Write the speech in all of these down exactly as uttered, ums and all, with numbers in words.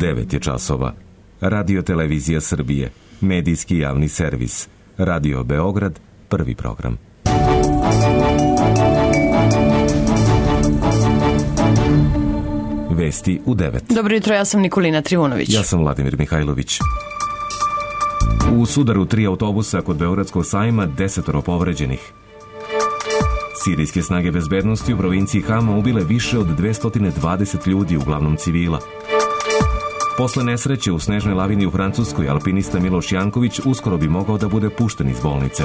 devet je časova. Radio Televizija Srbije, medijski javni servis. Radio Beograd, prvi program. Vesti u devet. Dobro jutro, ja sam Nikolina Trivunović. Ja sam Vladimir Mihajlović. U sudaru tri autobusa kod Beogradskog sajma desetoro povređenih. Sirijske snage bezbednosti u provinciji Hama ubile više od dvesta dvadeset ljudi, uglavnom civila. Posle nesreće u snežnoj lavini u Francuskoj, alpinista Miloš Janković uskoro bi mogao da bude pušten iz bolnice.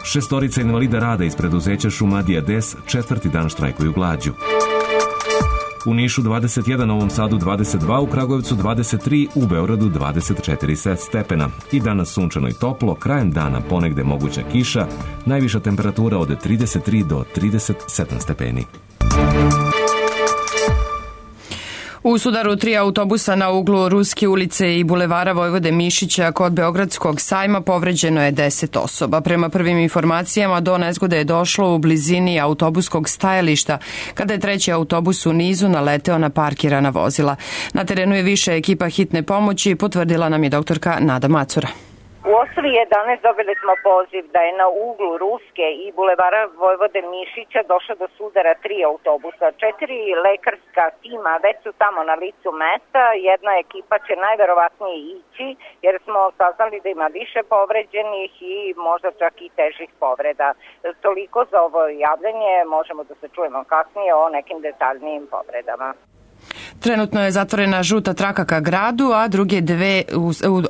Šestorica invalida rada iz preduzeća Šumadija Des četvrti dan štrajkuju glađu. U Nišu dvadeset jedan, Novom Sadu dvadeset dva, u Kragujevcu dvadeset tri, u Beogradu dvadeset četiri stepena. I danas sunčano i toplo, krajem dana ponegde moguća kiša, najviša temperatura od trideset tri do trideset sedam stepeni. U sudaru tri autobusa na uglu Ruske ulice i bulevara Vojvode Mišića kod Beogradskog sajma povređeno je deset osoba. Prema prvim informacijama, do nezgode je došlo u blizini autobuskog stajališta, kada je treći autobus u nizu naleteo na parkirana vozila. Na terenu je više ekipa hitne pomoći, potvrdila nam je doktorka Nada Macura. U osam jedanaest dobili smo poziv da je na uglu Ruske i bulevara Vojvode Mišića došlo do sudara tri autobusa. Četiri lekarska tima već su tamo na licu mesta. Jedna ekipa će najverovatnije ići jer smo saznali da ima više povređenih i možda čak i težih povreda. Toliko za ovo javljanje, možemo da se čujemo kasnije o nekim detaljnijim povredama. Trenutno je zatvorena žuta traka ka gradu, a, druge dve,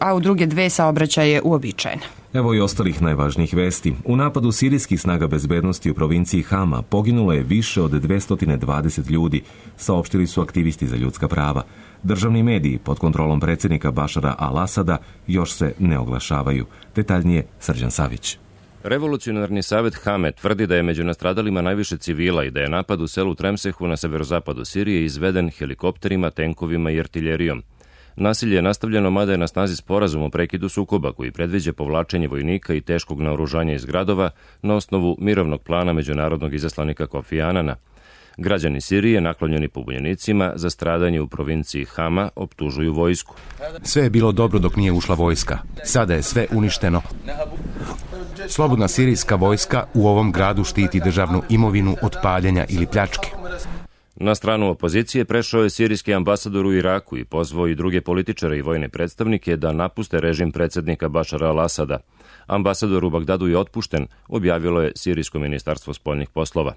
a u druge dve saobraćaje uobičajena. Evo i ostalih najvažnijih vesti. U napadu sirijskih snaga bezbednosti u provinciji Hama poginulo je više od dvesta dvadeset ljudi, saopštili su aktivisti za ljudska prava. Državni mediji pod kontrolom predsjednika Bašara al-Asada još se ne oglašavaju. Detaljnije Srđan Savić. Revolucionarni savet Hame tvrdi da je među nastradalima najviše civila i da je napad u selu Tremsehu na severozapadu Sirije izveden helikopterima, tenkovima i artiljerijom. Nasilje je nastavljeno, mada je na snazi sporazum o prekidu sukoba koji predviđa povlačenje vojnika i teškog naoružanja iz gradova na osnovu mirovnog plana međunarodnog izaslanika Kofi Anana. Građani Sirije, naklonjeni pobunjenicima za stradanje u provinciji Hama, optužuju vojsku. Sve je bilo dobro dok nije ušla vojska. Sada je sve uništeno. Slobodna sirijska vojska u ovom gradu štiti državnu imovinu od paljenja ili pljačke. Na stranu opozicije prešao je sirijski ambasador u Iraku i pozvao i druge političare i vojne predstavnike da napuste režim predsjednika Bašara al-Asada. Ambasador u Bagdadu je otpušten, objavilo je sirijsko ministarstvo spoljnih poslova.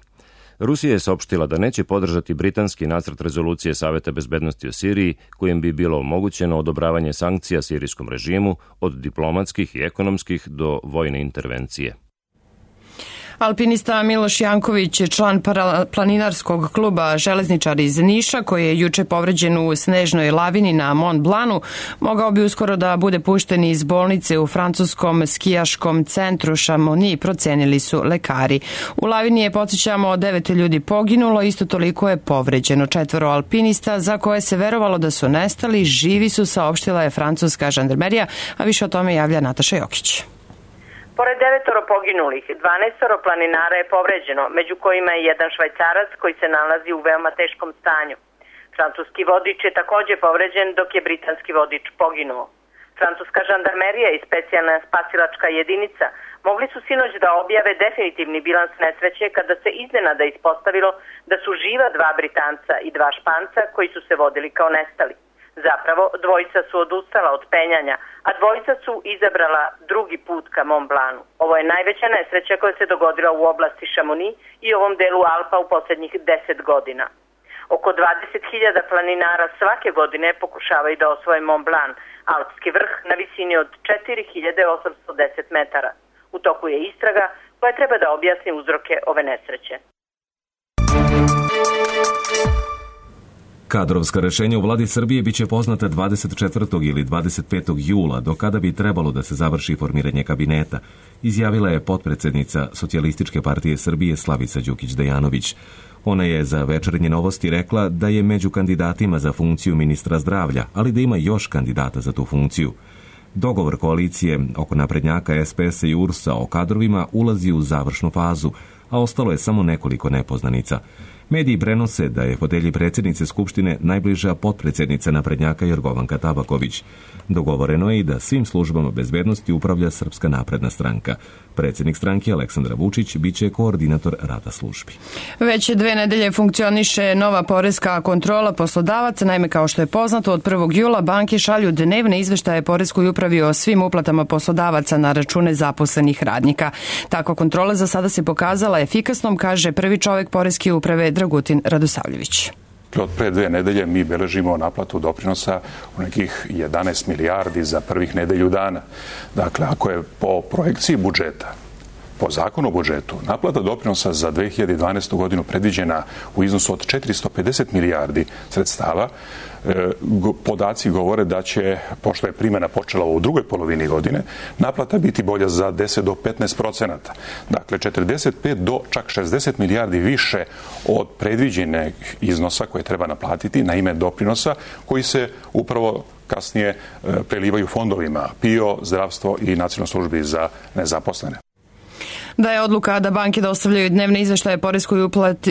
Rusija je saopštila da neće podržati britanski nacrt rezolucije Saveta bezbednosti o Siriji, kojim bi bilo omogućeno odobravanje sankcija sirijskom režimu od diplomatskih i ekonomskih do vojne intervencije. Alpinista Miloš Janković, član planinarskog kluba Železničar iz Niša, koji je juče povređen u snežnoj lavini na Mont Blanu, mogao bi uskoro da bude pušten iz bolnice u francuskom skijaškom centru Chamonix, procenili su lekari. U lavini je, podsjećamo, devet ljudi poginulo, isto toliko je povređeno. Četvoro alpinista za koje se verovalo da su nestali, živi su, saopštila je francuska žandarmerija, a više o tome javlja Nataša Jokić. Pored devetoro poginulih, dvanaestoro planinara je povređeno, među kojima je jedan Švajcarac koji se nalazi u veoma teškom stanju. Francuski vodič je također povređen, dok je britanski vodič poginuo. Francuska žandarmerija i specijalna spasilačka jedinica mogli su sinoć da objave definitivni bilans nesreće kada se iznenada ispostavilo da su živa dva Britanca i dva Španca koji su se vodili kao nestali. Zapravo, dvojica su odustala od penjanja, a dvojica su izabrala drugi put ka Mont Blanu. Ovo je najveća nesreća koja se dogodila u oblasti Chamonix i ovom delu Alpa u posljednjih deset godina. Oko dvadeset hiljada planinara svake godine pokušavaju da osvoje Mont Blanc, alpski vrh na visini od četiri hiljade osamsto deset metara. U toku je istraga koja treba da objasni uzroke ove nesreće. Kadrovska rešenja u vladi Srbije biće poznata dvadeset četvrtog ili dvadeset petog jula, do kada bi trebalo da se završi formiranje kabineta, izjavila je potpredsednica Socijalističke partije Srbije Slavica Đukić-Dejanović. Ona je za Večernje novosti rekla da je među kandidatima za funkciju ministra zdravlja, ali da ima još kandidata za tu funkciju. Dogovor koalicije oko naprednjaka S P S i U R S-a o kadrovima ulazi u završnu fazu, a ostalo je samo nekoliko nepoznanica. Mediji prenose da je fotelji predsjednice Skupštine najbliža potpredsjednica naprednjaka Jorgovanka Tabaković. Dogovoreno je i da svim službama bezbednosti upravlja Srpska napredna stranka. Predsjednik stranke Aleksandar Vučić biće koordinator rada službi. Već dve nedelje funkcioniše nova poreska kontrola poslodavaca. Naime, kao što je poznato, od prvog jula banke šalju dnevne izveštaje poreskoj upravi o svim uplatama poslodavaca na račune zaposlenih radnika. Takva kontrola za sada se pokazala efikasnom, kaže prvi čovjek poreske uprave Dragutin Radosavljević. Od pre dve nedelje mi beležimo naplatu doprinosa u nekih jedanaest milijardi za prvih nedelju dana. Dakle, ako je po projekciji budžeta, po zakonu o budžetu, naplata doprinosa za dve hiljade dvanaestu godinu predviđena u iznosu od četiristo pedeset milijardi sredstava, podaci govore da će, pošto je primjena počela u drugoj polovini godine, naplata biti bolja za deset do petnaest procenata. Dakle, četrdeset pet do čak šezdeset milijardi više od predviđenih iznosa koje treba naplatiti na ime doprinosa koji se upravo kasnije prelivaju fondovima P I O, zdravstvo i nacionalnoj službi za nezaposlene. Da je odluka da banke dostavljaju dnevne izveštaje poreskoj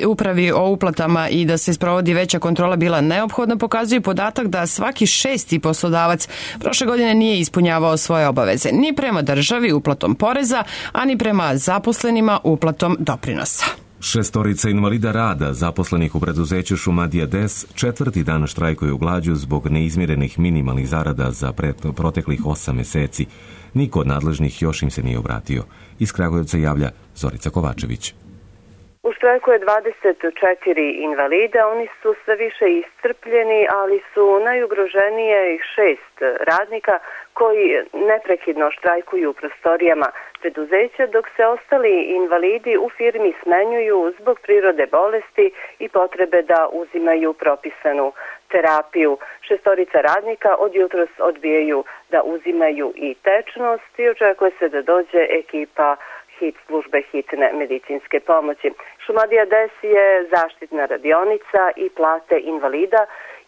upravi o uplatama i da se sprovodi veća kontrola bila neophodna, pokazuje podatak da svaki šesti poslodavac prošle godine nije ispunjavao svoje obaveze ni prema državi uplatom poreza, a ni prema zaposlenima uplatom doprinosa. Šestorica invalida rada zaposlenih u preduzeću Šumadija D E S četvrti dan štrajkuju glađu zbog neizmjerenih minimalnih zarada za proteklih osam meseci. Niko od nadležnih još im se nije obratio. Iz Kragujevca javlja Zorica Kovačević. U štrajku je dvadeset četiri invalida, oni su sve više iscrpljeni, ali su najugroženije šest radnika koji neprekidno štrajkuju u prostorijama preduzeća, dok se ostali invalidi u firmi smenjuju zbog prirode bolesti i potrebe da uzimaju propisanu terapiju. Šestorica radnika od jutros odbijaju da uzimaju i tečnost i očekuje se da dođe ekipa hit službe hitne medicinske pomoći. Šumadija D E S je zaštitna radionica i plate invalida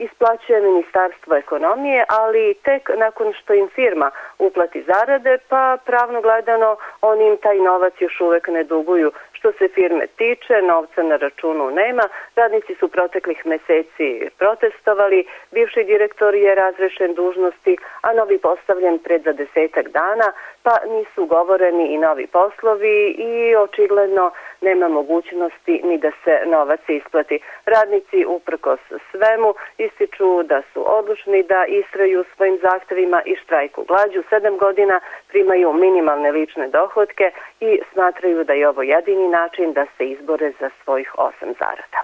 isplaćuje Ministarstvo ekonomije, ali tek nakon što im firma uplati zarade, pa pravno gledano oni im taj novac još uvek ne duguju. Što se firme tiče, novca na računu nema, radnici su proteklih meseci protestovali, bivši direktor je razrešen dužnosti, a novi postavljen pred za desetak dana, pa nisu ugovoreni i novi poslovi i očigledno nema mogućnosti ni da se novac isplati. Radnici uprkos svemu ističu da su odlučni da istraju svojim zahtevima i štrajku glađu. Sedam godina primaju minimalne lične dohotke i smatraju da je ovo jedini način da se izbore za svojih osam zarada.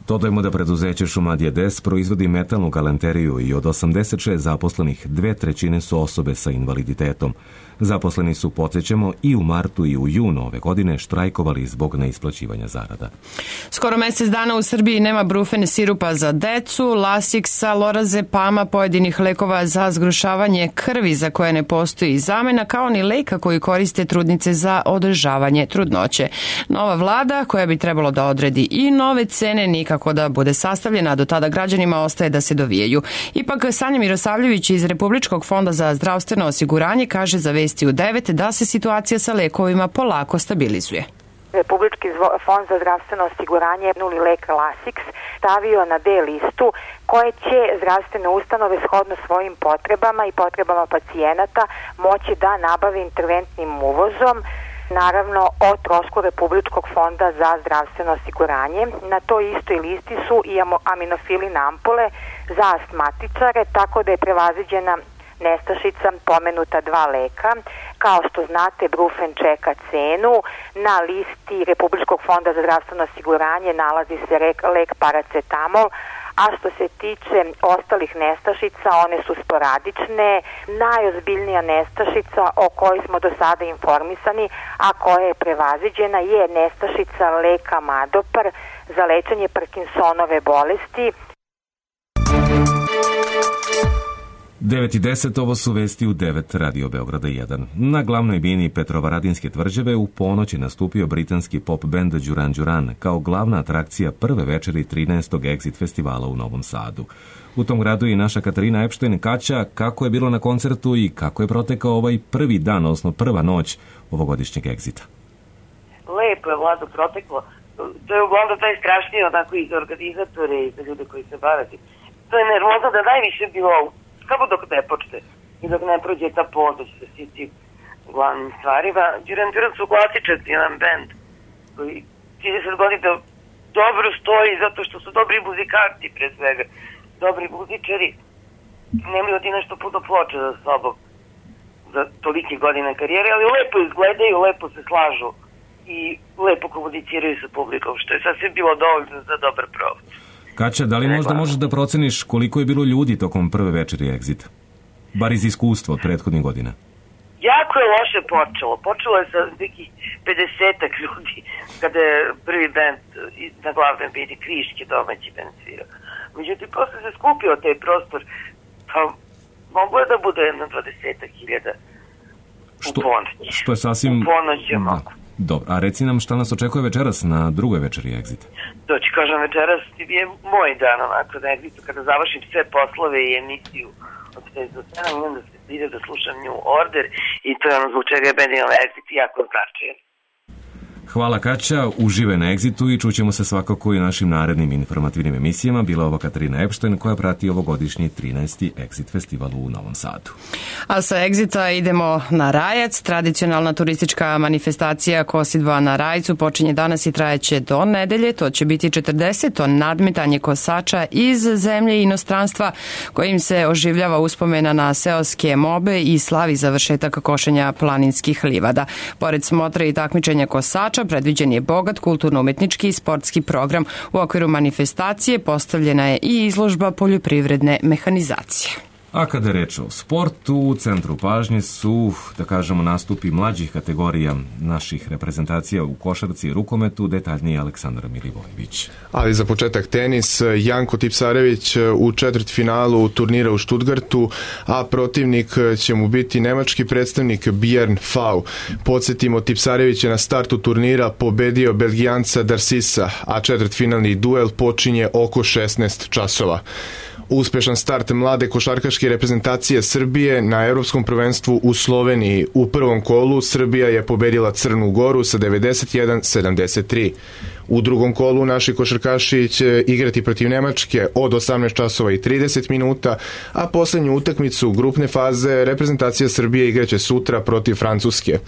Dodajmo da preduzeće Šumadija D E S proizvodi metalnu galanteriju i od osamdeset šest zaposlenih dve trećine su osobe sa invaliditetom. Zaposleni su, podsjećamo, i u martu i u junu ove godine štrajkovali zbog neisplaćivanja zarada. Skoro mjesec dana u Srbiji nema brufen sirupa za decu, lasiksa, lorazepama, pojedinih lekova za zgrušavanje krvi za koje ne postoji zamena, kao ni leka koji koriste trudnice za održavanje trudnoće. Nova vlada, koja bi trebalo da odredi i nove cene, nikako da bude sastavljena, a do tada građanima ostaje da se dovijaju. Ipak, Sanja Mirosavljević iz Republičkog fonda za zdravstveno osiguranje kaže za Vesti u devet da se situacija sa lekovima polako stabilizuje. Republički fond za zdravstveno osiguranje nuli lek Lasix stavio na D listu koje će zdravstvene ustanove shodno svojim potrebama i potrebama pacijenata moći da nabave interventnim uvozom, naravno o trošku Republičkog fonda za zdravstveno osiguranje. Na toj istoj listi su i aminofilin ampule za astmatičare, tako da je prevaziđena nestašica pomenuta dva leka. Kao što znate, brufen čeka cenu. Na listi Republičkog fonda za zdravstveno osiguranje nalazi se lek paracetamol, a što se tiče ostalih nestašica, one su sporadične. Najozbiljnija nestašica o kojoj smo do sada informisani, a koja je prevaziđena, je nestašica leka Madopar za lečenje Parkinsonove bolesti. devet i deset, ovo su vesti u devet Radio Beograda jedan. Na glavnoj bini Petrovaradinske tvrđave u ponoć je nastupio britanski pop bend Duran Duran kao glavna atrakcija prve večeri trinaestog Exit festivala u Novom Sadu. U tom gradu je naša Katarina Epštajn. Kaća, kako je bilo na koncertu i kako je protekao ovaj prvi dan, odnosno prva noć ovogodišnjeg Exita? Lepo je, Vlado, proteklo. to je uglavnom taj strašniji onako i za organizatore i za ljude koji se bave. To je nervozno da najviše bilo samo dok ne počne i dok ne prođe ta podnoć sa svim tim glavnim stvarima. Duran Duran su klasičan jedan band koji trideset godina dobro stoji zato što su dobri muzikanti pre svega, dobri muzičari, nemaju ti nešto puno ploča za sobom za tolike godine karijere, ali lepo izgledaju, lepo se slažu i lepo komuniciraju sa publikom, što je sasvim bilo dovoljno za dobar provod. Kaća, da li možda možeš da proceniš koliko je bilo ljudi tokom prve večeri Exit? Bar iz iskustva od prethodnih godina. Jako je loše počelo. Počelo je sa nekih pedesetak ljudi kada je prvi band na glavnom bini Kriške domaći band svirao. Međutim, posle se skupio taj prostor, pa mogu je da bude jedno dvadesetak hiljada u ponoć. Što je sasvim... U ponoć je mogu. Dobro, a reci nam šta nas očekuje večeras na drugoj večeri Exit? To ću kažem, večeras je moj dan onako na Exitu, kada završim sve poslove i emisiju od šest do sedam, imam da se ide da slušam New Order i to je ono zbog čega je Benjamin Exit jako značajan. Hvala Kaća, uživaj na Exitu i čućemo se svakako i našim narednim informativnim emisijama. Bila ovo Katarina Epštajn koja prati ovogodišnji trinaesti Exit festival u Novom Sadu. A sa Exita idemo na Rajac. Tradicionalna turistička manifestacija Kosidba na Rajcu počinje danas i trajeće do nedelje. To će biti četrdeseto nadmetanje kosača iz zemlje i inostranstva kojim se oživljava uspomena na seoske mobe i slavi završetak košenja planinskih livada. Pored smotre i takmičenja kosača predviđen je bogat kulturno-umetnički i sportski program. U okviru manifestacije postavljena je i izložba poljoprivredne mehanizacije. A kada je reč o sportu, u centru pažnje su, da kažemo, nastupi mlađih kategorija naših reprezentacija u košarci i rukometu, detaljnije Aleksandar Milivojević. Ali za početak tenis, Janko Tipsarević u četvrtfinalu turnira u Stuttgartu, a protivnik će mu biti nemački predstavnik Björn Fau. Podsjetimo, Tipsarević je na startu turnira pobedio Belgijanca Darsisa, a četvrtfinalni duel počinje oko šesnaest časova. Uspešan start mlade košarkaške reprezentacije Srbije na Evropskom prvenstvu u Sloveniji. U prvom kolu Srbija je pobedila Crnu Goru sa devedeset jedan sedamdeset tri. U drugom kolu naši košarkaši će igrati protiv Nemačke od osamnaest časova i trideset minuta, a poslednju utakmicu grupne faze reprezentacija Srbije igraće sutra protiv Francuske.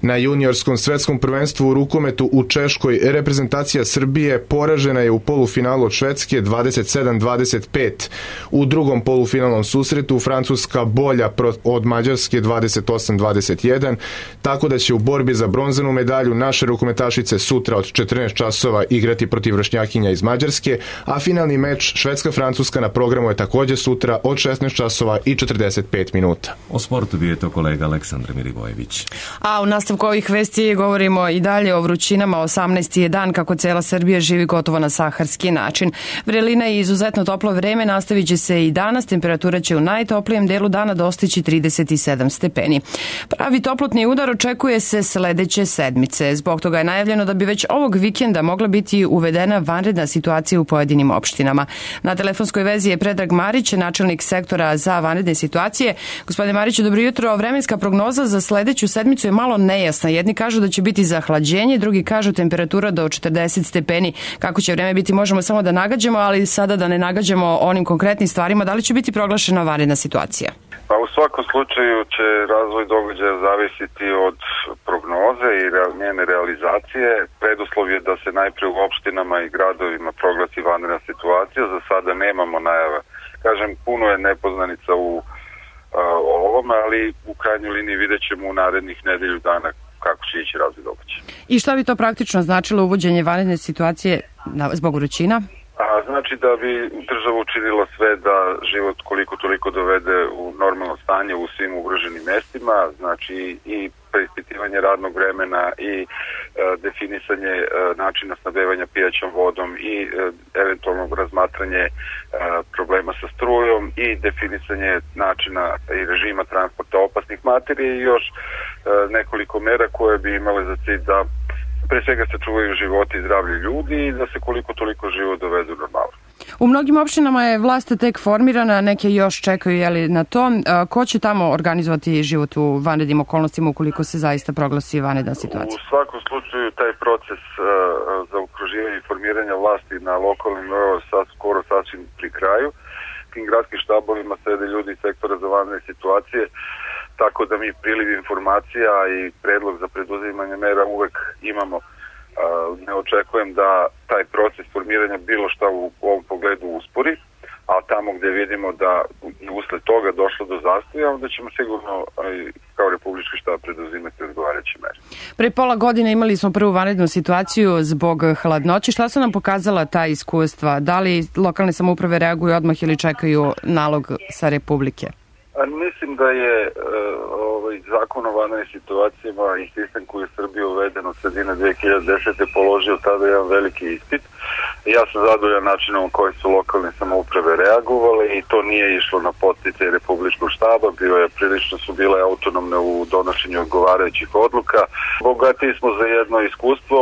Na juniorskom svetskom prvenstvu u rukometu u Češkoj reprezentacija Srbije poražena je u polufinalu od Švedske dvadeset sedam dvadeset pet. U drugom polufinalnom susretu Francuska bolja od Mađarske dvadeset osam dvadeset jedan, tako da će u borbi za bronzanu medalju naše rukometašice sutra od četrnaest časova igrati protiv vršnjakinja iz Mađarske, a finalni meč Švedska-Francuska na programu je takođe sutra od šesnaest časova i četrdeset pet minuta. O sportu bio je to kolega Aleksandar Milivojević. A u nastavku ovih vesti govorimo i dalje o vrućinama. osamnaesti je dan kako cela Srbija živi gotovo na saharski način. Vrelina i izuzetno toplo vreme nastavit će se i danas. Temperatura će u najtoplijem delu dana dostići trideset sedam stepeni. Pravi toplotni udar očekuje se sledeće sedmice. Zbog toga je najavljeno da bi već ovog vikenda mogla biti uvedena vanredna situacija u pojedinim opštinama. Na telefonskoj vezi je Predrag Marić, načelnik sektora za vanredne situacije. Gospodine Mariću, dobro jutro. Vremenska prognoza za sledeću sedmicu je malo nejasna. Jedni kažu da će biti zahlađenje, drugi kažu temperatura do četrdeset stepeni. Kako će vreme biti, možemo samo da nagađamo, ali sada da ne nagađamo onim konkretnim stvarima. Da li će biti proglašena vanredna situacija? Pa u svakom slučaju će razvoj događaja zavisiti od prognoze i njene realizacije. Preduslov je da se najpre u opštinama i gradovima proglasi vanredna situacija. Za sada nemamo najava. Kažem, puno je nepoznanica u o ovome, ali u krajnjoj liniji vidjet ćemo u narednih nedelju dana kako će ići razvoj događaja. I šta bi to praktično značilo uvođenje vanredne situacije zbog vrućina? A, znači da bi država učinila sve da život koliko toliko dovede u normalno stanje u svim ugroženim mestima, znači i preispitivanje radnog vremena i e, definisanje e, načina snabdevanja pijaćom vodom i e, eventualno razmatranje e, problema sa strujom i definisanje načina i režima transporta opasnih materija i još e, nekoliko mera koje bi imale za cilj da pre svega se čuvaju životi i zdravlje ljudi i da se koliko toliko život dovedu normalno. U mnogim opštinama je vlast tek formirana, neke još čekaju jeli, na to. Ko će tamo organizovati život u vanrednim okolnostima ukoliko se zaista proglasi vanredna situacija? U svakom slučaju taj proces uh, za okruživanje i formiranje vlasti na lokalnim nivou sad skoro sasvim pri kraju. Tim gradskim štabovima sede ljudi iz sektora za vanredne situacije, tako da mi priliv informacija i predlog za preduzimanje mera uvek imamo. Ne očekujem da taj proces formiranja bilo šta u ovom pogledu uspori, a tamo gde vidimo da i usled toga došlo do zastoja, onda ćemo sigurno kao Republički štab preduzimati odgovarajuće mere. Pre pola godine imali smo prvu vanrednu situaciju zbog hladnoće. Šta su nam pokazala ta iskustva? Da li lokalne samouprave reaguju odmah ili čekaju nalog sa Republike? A mislim da je uh, ovaj, zakon o vanrednim situacijama i sistem koji je u Srbiji uveden od sredine dve hiljade desete položio tada jedan veliki ispit. Ja sam zadovoljan načinom koji su lokalne samouprave reagovale i to nije išlo na podsticaj Republičkog štaba, bio je prilično su bile autonomne u donošenju odgovarajućih odluka. Bogatiji smo za jedno iskustvo.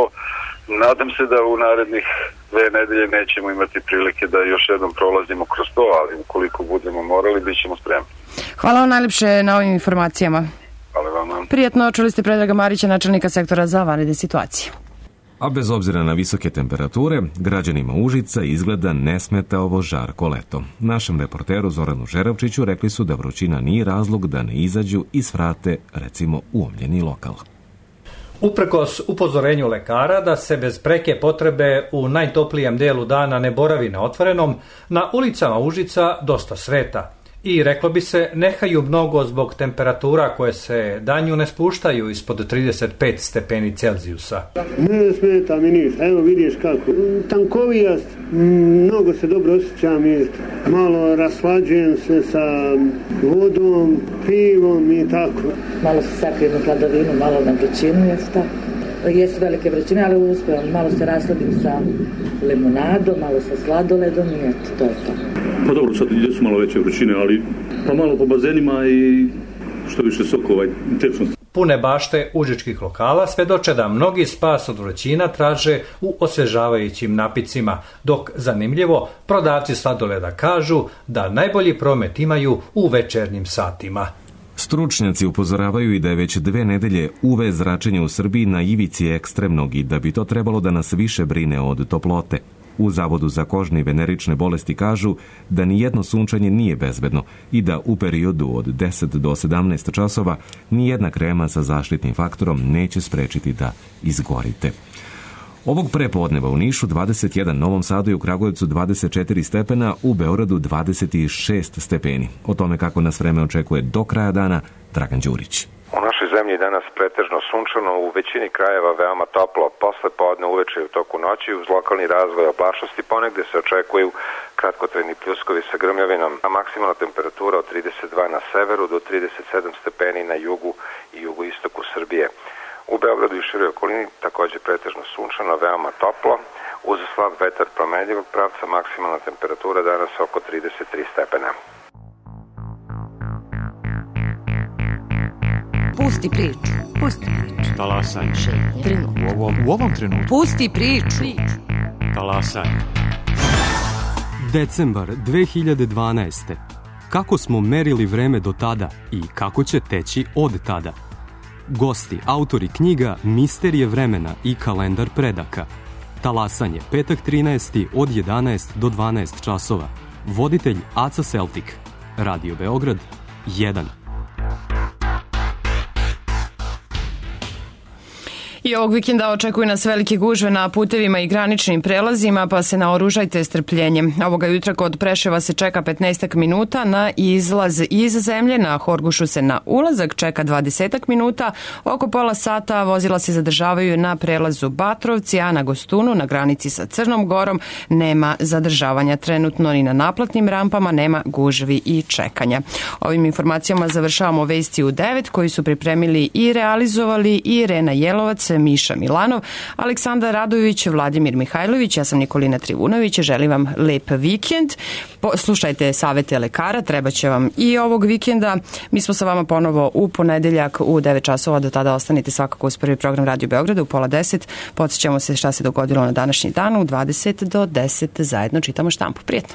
Nadam se da u narednih dve nedelje nećemo imati prilike da još jednom prolazimo kroz to, ali ukoliko budemo morali, bit ćemo spremni. Hvala vam najlepše na ovim informacijama. Hvala vam. Prijetno, čuli ste Predraga Marića, načelnika sektora za vanredne situacije. A bez obzira na visoke temperature, građanima Užica izgleda ne smeta ovo žarko leto. Našem reporteru Zoranu Žeravčiću rekli su da vrućina nije razlog da ne izađu i svrate, recimo, u omljeni lokal. Uprkos upozorenju lekara da se bez preke potrebe u najtoplijem delu dana ne boravi na otvorenom, na ulicama Užica dosta sveta. I, reklo bi se, nehaju mnogo zbog temperatura koje se danju ne spuštaju ispod trideset pet stepeni Celzijusa. Ne smeta mi ništa, evo vidiš kako. Tankovijast, mnogo se dobro osjećam i malo raslađujem se sa vodom, pivom i tako. Malo se sakrijem u hladovinu, malo na vrućinu, jeste tako. Jesu velike vrućine, ali uspijem, malo se rasladim sa limunadom, malo sa sladoledom i eto, to je to. Pa dobro, sad jesu malo veće vrućine, ali pa malo po bazenima i što više sokova i tečnosti. Pune bašte užičkih lokala svedoče da mnogi spas od vrućina traže u osvežavajućim napicima, dok, zanimljivo, prodavci sladoleda kažu da najbolji promet imaju u večernjim satima. Stručnjaci upozoravaju i da je već dve nedelje U V zračenje u Srbiji na ivici ekstremnog i da bi to trebalo da nas više brine od toplote. U Zavodu za kožne i venerične bolesti kažu da ni jedno sunčanje nije bezbedno i da u periodu od deset do sedamnaest časova ni jedna krema sa zaštitnim faktorom neće sprečiti da izgorite. Ovog prepodneva u Nišu dvadeset jedan, Novom Sadu i u Kragujevcu dvadeset četiri stepena, u Beogradu dvadeset šest stepeni. O tome kako nas vreme očekuje do kraja dana, Dragan Đurić. U našoj zemlji danas pretežno sunčano, u većini krajeva veoma toplo, posle podne uveče i u toku noći uz lokalni razvoj oblačnosti ponegde se očekuju kratkotrajni pljuskovi sa grmljavinom, a maksimalna temperatura od trideset dva na severu do trideset sedam stepeni na jugu i jugoistoku Srbije. U Beogradu i široj okolini takođe pretežno sunčano, veoma toplo, uz slab vetar promenljivog pravca, maksimalna temperatura danas oko trideset tri stepena. Pusti priču. Pusti priču. Talasaj. Trenutno. U ovom, u ovom trenutku. Pusti priču. Talasaj. Decembar dve hiljade dvanaeste. Kako smo merili vreme do tada i kako će teći od tada? Gosti, autori knjiga Misterije vremena i kalendar predaka. Talasanje, petak trinaesti od jedanaest do dvanaest časova. Voditelj Aca Celtic. Radio Beograd jedan. I ovog vikenda očekuju nas velike gužve na putevima i graničnim prelazima, pa se naoružajte strpljenjem. Ovoga jutra kod Preševa se čeka petnaest minuta na izlaz iz zemlje, na Horgušu se na ulazak čeka dvadeset minuta, oko pola sata vozila se zadržavaju na prelazu Batrovci, a na Gostunu, na granici sa Crnom Gorom, nema zadržavanja trenutno ni na naplatnim rampama, nema gužvi i čekanja. Ovim informacijama završavamo vesti u devet koji su pripremili i realizovali Irena Jelovac, Miša Milanov, Aleksandar Radojević, Vladimir Mihajlović, ja sam Nikolina Trivunović, želim vam lep vikend. Slušajte savete lekara, treba će vam i ovog vikenda. Mi smo sa vama ponovo u ponedeljak u devet časova, do tada ostanite svakako uz prvi program Radio Beograda u pola deset. Podsjećamo se šta se dogodilo na današnji dan u dvadeset do deset, zajedno čitamo štampu. Prijetno!